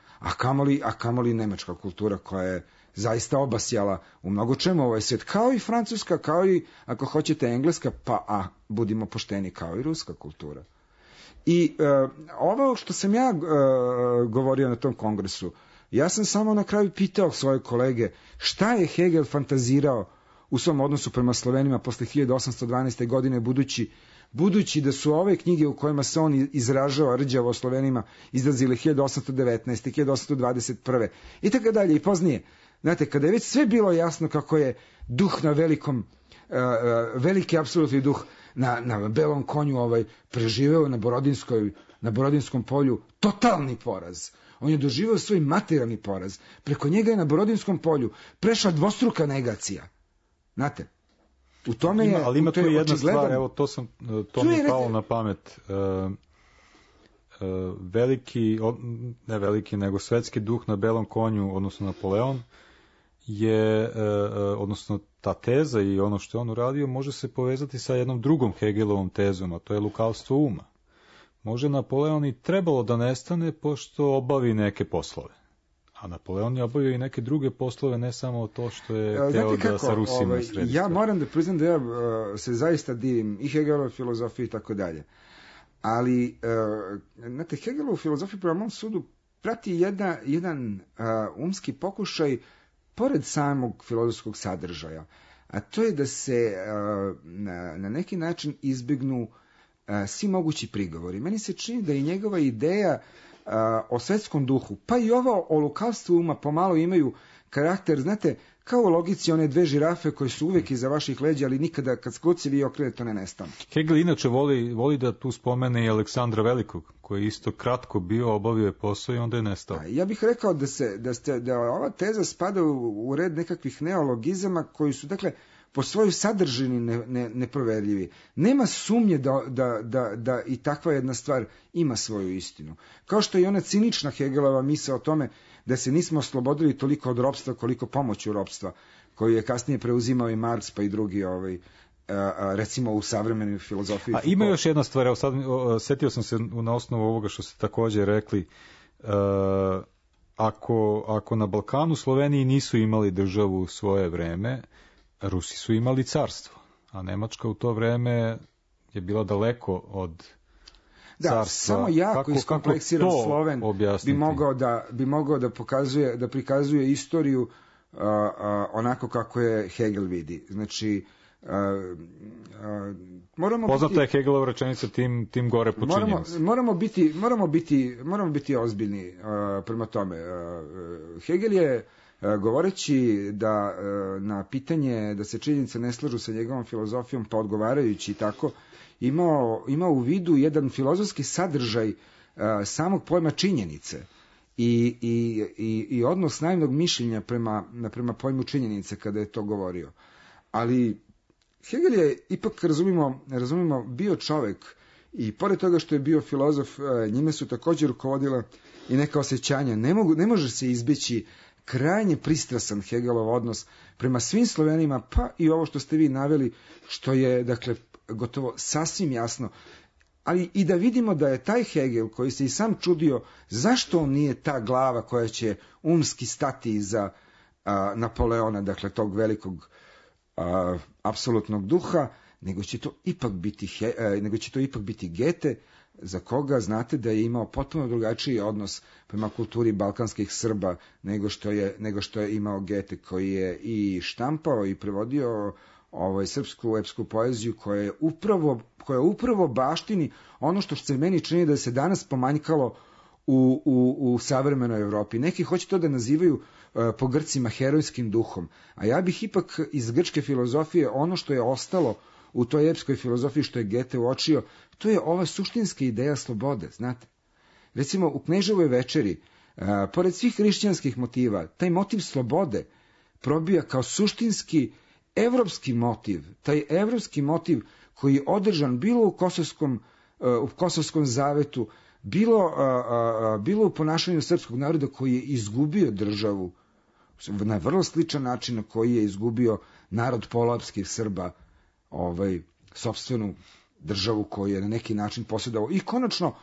a kamoli nemačka kultura koja je zaista obasjala u mnogo čemu ovaj svijet, kao i francuska, kao i, ako hoćete, engleska, pa budimo pošteni, kao i ruska kultura. I ovo što sam ja govorio na tom kongresu, ja sam samo na kraju pitao svoje kolege šta je Hegel fantazirao u svom odnosu prema Slovenima posle 1812. godine, budući da su ove knjige u kojima se on izražava rđavo o Slovenima izlazile 1819. 1821. i tako dalje i poznije. Znate, kada je već sve bilo jasno kako je duh na veliki apsolutni duh na belom konju preživeo na Borodinskom polju totalni poraz. On je doživio svoj materijalni poraz. Preko njega je na Borodinskom polju prešla dvostruka negacija. Znate, u tome je... Ali ima tu jedna stvar, evo to mi je palo na pamet. Ne veliki, nego svetski duh na belom konju, odnosno Napoleon, je, odnosno ta teza i ono što je on uradio, može se povezati sa jednom drugom Hegelovom tezom, a to je lukavstvo uma. Može Napoleon i trebalo da nestane pošto obavi neke poslove. A Napoleon je obavio i neke druge poslove, ne samo to što je teo da sa Rusima sredi. Ja moram da priznam da ja se zaista divim i Hegelov filozofiji i tako dalje. Ali, znate, Hegelov filozofiju prema mom sudu prati jedan umski pokušaj pored samog filozofskog sadržaja. A to je da se na neki način izbjegnu svi mogući prigovori. Meni se čini da i njegova ideja o svetskom duhu, pa i ovo o lukavstvu uma pomalo imaju karakter, znate, kao u logici one dve žirafe koje su uvek iza vaših leđa, ali nikada kad god se vi okrenete to ne nestane. Hegel inače voli da tu spomene i Aleksandra Velikog, koji je isto kratko bio, obavio je posao i onda je nestao. Ja bih rekao da ova teza spada u red nekakvih neologizama koji su, dakle, po svojoj sadržini neproverljivi. Nema sumnje da i takva jedna stvar ima svoju istinu. Kao što je ona cinična Hegelova misao o tome da se nismo oslobodili toliko od ropstva koliko pomoću ropstva, koju je kasnije preuzimao i Marks pa i drugi recimo u savremenoj filozofiji. A ima još jedna stvar, evo sad setio sam se na osnovu ovoga što ste također rekli, ako na Balkanu Sloveniji nisu imali državu u svoje vreme, Rusi su imali carstvo, a Nemačka u to vreme je bila daleko od carstva. Da, samo jako iskompleksiran Sloven bi mogao da prikazuje istoriju onako kako je Hegel vidi. Znači, poznata je Hegelova rečenica tim gore počinjemo se. Moramo biti ozbiljni prema tome. Hegel je, govoreći da na pitanje da se činjenice ne slažu sa njegovom filozofijom, pa odgovarajući tako, imao u vidu jedan filozofski sadržaj samog pojma činjenice i odnos naivnog mišljenja prema pojmu činjenice kada je to govorio. Ali Hegel je ipak, razumimo, bio čovek i pored toga što je bio filozof, njime su također rukovodila i neka osjećanja. Ne može se izbjeći krajnje pristrasan Hegelov odnos prema svim Slovenima, pa i ovo što ste vi naveli, što je, dakle, gotovo sasvim jasno. Ali i da vidimo da je taj Hegel, koji se i sam čudio zašto on nije ta glava koja će umski stati iza Napoleona, dakle tog velikog apsolutnog duha, nego će to ipak biti Goethe, za koga znate da je imao potpuno drugačiji odnos prema kulturi balkanskih Srba nego što je imao Goethe, koji je i štampao i prevodio srpsku epsku poeziju koja upravo baštini ono što se meni čini da se danas pomanjkalo u savremenoj Evropi. Neki hoće to da nazivaju po Grcima herojskim duhom, a ja bih ipak iz grčke filozofije ono što je ostalo u toj epskoj filozofiji što je Goethe uočio, to je ova suštinska ideja slobode, znate. Recimo u Kneževoj večeri, pored svih hrišćanskih motiva, taj motiv slobode probija kao suštinski evropski motiv, taj evropski motiv koji je održan bilo u Kosovskom zavetu, bilo u ponašanju srpskog naroda koji je izgubio državu na vrlo sličan način na koji je izgubio narod poluapskih Srba, sopstvenu državu koju je na neki način posjedovao. I konačno,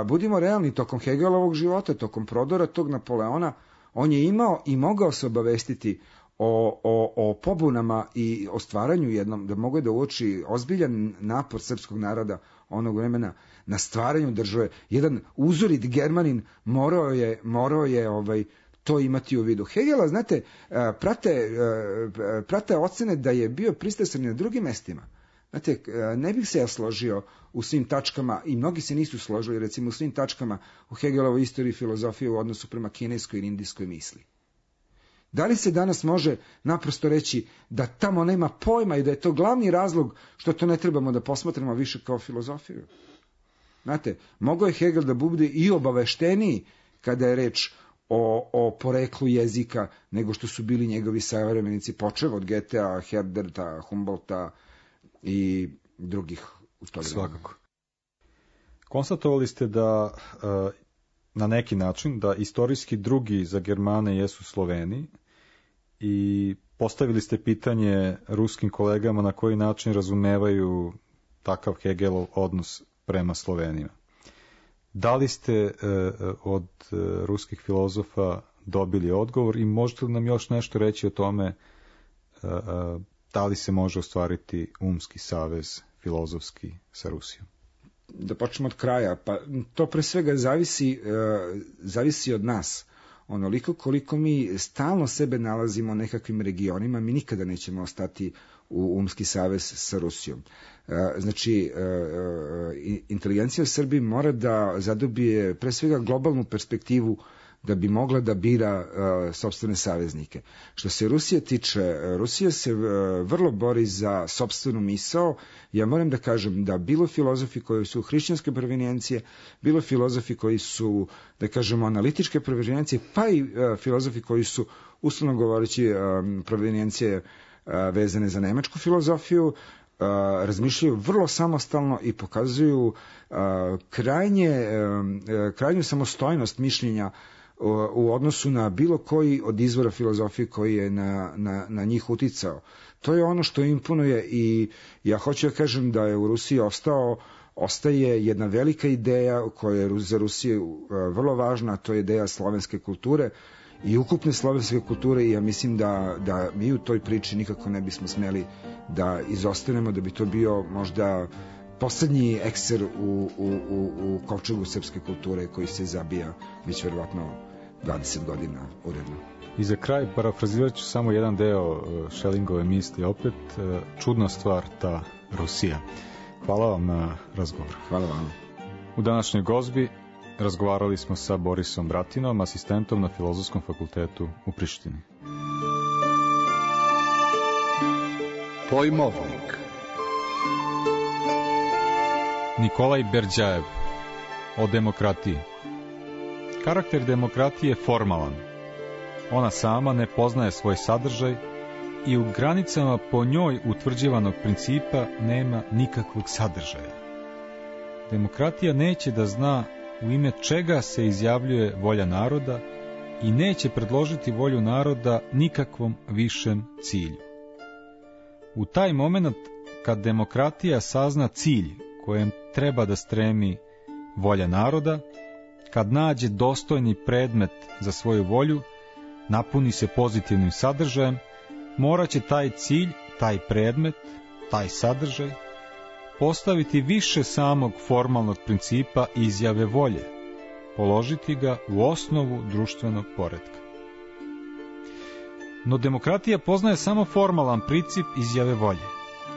budimo realni, tokom Hegelovog života, tokom prodora tog Napoleona, on je imao i mogao se obavestiti o pobunama i o stvaranju jednom, da mogu da uoči ozbiljan napor srpskog naroda onog vremena na stvaranju države. Jedan uzorit Germanin morao je to imati u vidu. Hegela, znate, prate ocene da je bio pristrasan na drugim mestima. Znate, ne bih se ja složio u svim tačkama, i mnogi se nisu složili, recimo u svim tačkama u Hegelovoj istoriji filozofije u odnosu prema kineskoj i indijskoj misli. Da li se danas može naprosto reći da tamo nema pojma i da je to glavni razlog što to ne trebamo da posmatramo više kao filozofiju? Znate, mogao je Hegel da bude i obavešteniji kada je reč o poreklu jezika nego što su bili njegovi savremenici, počev od Goethea, Herderta, Humboldta i drugih u to vreme. Svakako. Konstatovali ste da na neki način da istorijski drugi za Germane jesu Sloveni i postavili ste pitanje ruskim kolegama na koji način razumevaju takav Hegelov odnos prema Slovenima. Da li ste od ruskih filozofa dobili odgovor i možete li nam još nešto reći o tome da li se može ostvariti umski savez filozofski sa Rusijom? Da počnemo od kraja, pa to pre svega zavisi od nas. Onoliko koliko mi stalno sebe nalazimo u nekakvim regionima, mi nikada nećemo ostati u umski savez sa Rusijom. Znači, inteligencija u Srbiji mora da zadobije pre svega globalnu perspektivu da bi mogla da bira sopstvene saveznike. Što se Rusije tiče, Rusija se vrlo bori za sopstvenu misao. Ja moram da kažem da bilo filozofi koji su hrišćanske provenijencije, bilo filozofi koji su, da kažemo, analitičke provenijencije, pa i filozofi koji su, uslovno govoreći, provenijencije vezane za nemačku filozofiju, razmišljaju vrlo samostalno i pokazuju krajnju samostojnost mišljenja u odnosu na bilo koji od izvora filozofije koji je na njih uticao. To je ono što imponuje i ja hoću da kažem da je u Rusiji ostaje jedna velika ideja koja je za Rusiju vrlo važna, a to je ideja slovenske kulture i ukupne slovenske kulture i ja mislim da mi u toj priči nikako ne bismo smeli da izostanemo, da bi to bio možda poslednji ekser u kovčegu srpske kulture koji se zabija već verovatno 20 godina uredno. I za kraj parafrazirat ću samo jedan deo Schellingove misli opet, čudna stvar ta Rusija. Hvala vam na razgovor. Hvala vam. U današnjoj gozbi razgovarali smo sa Borisom Bratinom, asistentom na Filozofskom fakultetu u Prištini. Pojmovnik. Nikolaj Berdjajev o demokratiji. Karakter demokratije je formalan. Ona sama ne poznaje svoj sadržaj i u granicama po njoj utvrđivanog principa nema nikakvog sadržaja. Demokratija neće da zna u ime čega se izjavljuje volja naroda i neće predložiti volju naroda nikakvom višem cilju. U taj moment kad demokratija sazna cilj kojem treba da stremi volja naroda, kad nađe dostojni predmet za svoju volju, napuni se pozitivnim sadržajem, morat će taj cilj, taj predmet, taj sadržaj postaviti više samog formalnog principa izjave volje, položiti ga u osnovu društvenog poretka. No demokratija poznaje samo formalan princip izjave volje,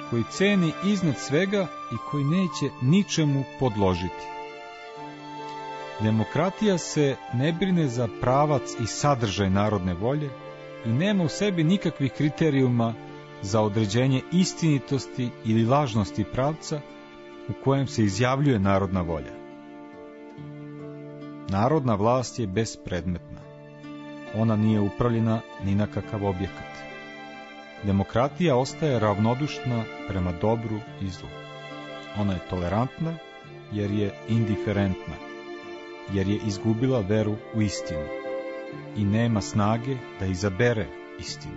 koji ceni iznad svega i koji neće ničemu podložiti. Demokratija se ne brine za pravac i sadržaj narodne volje i nema u sebi nikakvih kriterijuma za određenje istinitosti ili lažnosti pravca u kojem se izjavljuje narodna volja. Narodna vlast je bespredmetna. Ona nije upravljena ni na kakav objekat. Demokratija ostaje ravnodušna prema dobru i zlu. Ona je tolerantna jer je indiferentna, jer je izgubila veru u istinu i nema snage da izabere istinu.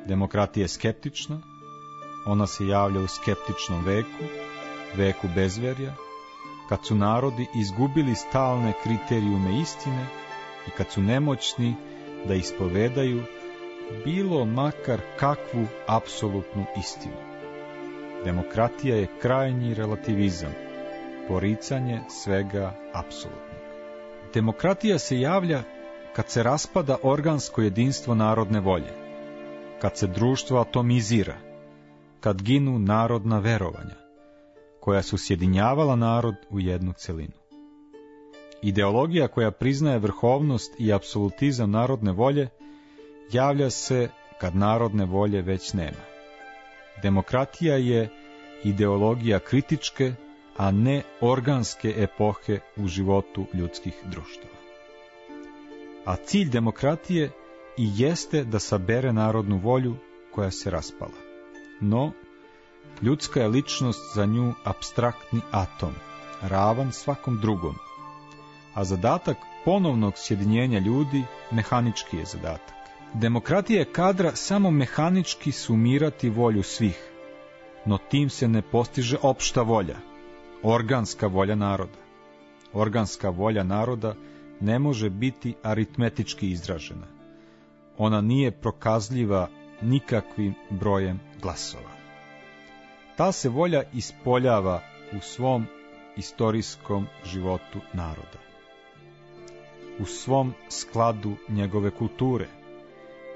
Demokratija je skeptična, ona se javlja u skeptičnom veku, veku bezverja, kad su narodi izgubili stalne kriterijume istine i kad su nemoćni da ispovedaju bilo makar kakvu apsolutnu istinu. Demokratija je krajnji relativizam, poricanje svega apsolutnog. Demokratija se javlja kad se raspada organsko jedinstvo narodne volje, kad se društvo atomizira, kad ginu narodna verovanja, koja su sjedinjavala narod u jednu celinu. Ideologija koja priznaje vrhovnost i apsolutizam narodne volje javlja se kad narodne volje već nema. Demokratija je ideologija kritičke, a ne organske epohe u životu ljudskih društava. A cilj demokratije i jeste da sabere narodnu volju koja se raspala. No, ljudska je ličnost za nju apstraktni atom, ravan svakom drugom, a zadatak ponovnog sjedinjenja ljudi mehanički je zadatak. Demokratija je kadra samo mehanički sumirati volju svih, no tim se ne postiže opšta volja, organska volja naroda. Organska volja naroda ne može biti aritmetički izražena. Ona nije prokazljiva nikakvim brojem glasova. Ta se volja ispoljava u svom istorijskom životu naroda, u svom skladu njegove kulture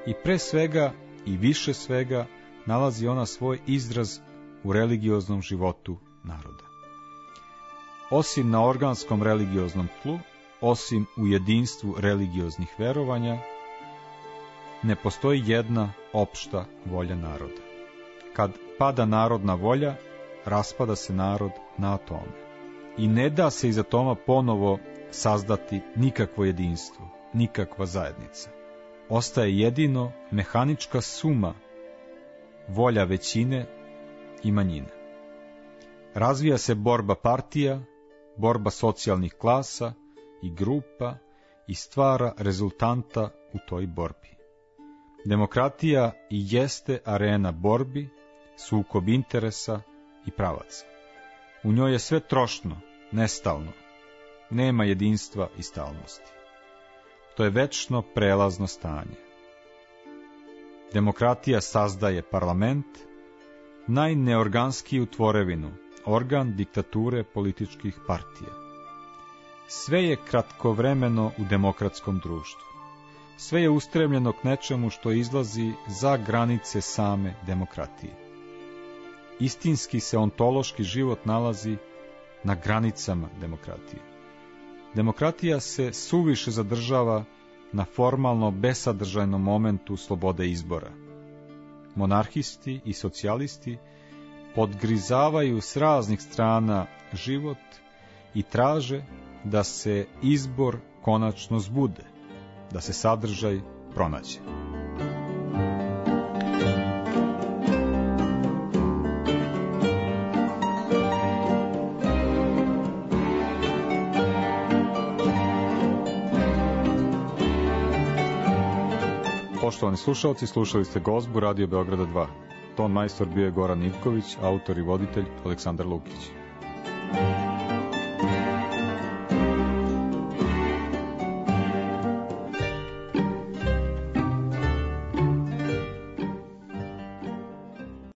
i pre svega i više svega nalazi ona svoj izraz u religioznom životu naroda. Osim na organskom religioznom tlu, osim u jedinstvu religioznih verovanja, ne postoji jedna opšta volja naroda. Kad pada narodna volja, raspada se narod na atome. I ne da se iz atoma ponovo sazdati nikakvo jedinstvo, nikakva zajednica. Ostaje jedino mehanička suma volja većine i manjine. Razvija se borba partija, borba socijalnih klasa i grupa i stvara rezultanta u toj borbi. Demokratija i jeste arena borbi, sukob interesa i pravaca. U njoj je sve trošno, nestalno, nema jedinstva i stalnosti. To je večno prelazno stanje. Demokratija sazdaje parlament, najneorganskiju tvorevinu, organ diktature političkih partija. Sve je kratkovremeno u demokratskom društvu. Sve je ustremljeno k nečemu što izlazi za granice same demokratije. Istinski se ontološki život nalazi na granicama demokratije. Demokratija se suviše zadržava na formalno besadržajnom momentu slobode izbora. Monarhisti i socijalisti podgrizavaju s raznih strana život i traže da se izbor konačno zbude, da se sadržaj pronađe. Poštovani slušalci, slušali ste Gozbu Radio Beograda 2. ton majstor bio je Goran Ivković, autor i voditelj Aleksandar Lukić.